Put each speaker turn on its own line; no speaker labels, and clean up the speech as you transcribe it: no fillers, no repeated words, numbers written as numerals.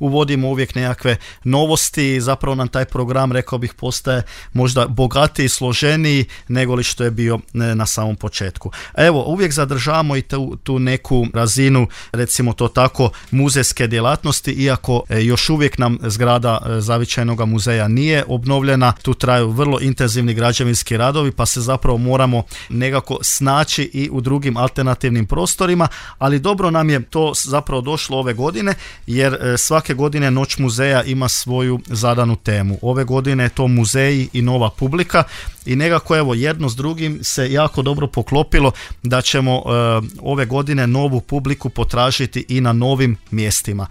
uvodimo uvijek nekakve novosti i zapravo nam taj program, rekao bih, postaje možda bogatiji, složeniji nego li što je bio na samom početku. Evo, uvijek zadržavamo i tu neku razinu, recimo to tako, muzejske djelatnosti, iako još uvijek nam zgrada Zavičajnog muzeja nije obnovljena, tu traju vrlo intenzivni građevinski radovi, pa se zapravo moramo nekako snaći i u drugim alternativnim prostorima, ali dobro nam je to zapravo došlo ove godine, jer svake godine Noć muzeja ima svoju zadanu temu. Ove godine je to muzeji i nova publika i nekako evo jedno s drugim se jako dobro poklopilo da ćemo ove godine novu publiku potražiti i na novim mjestima.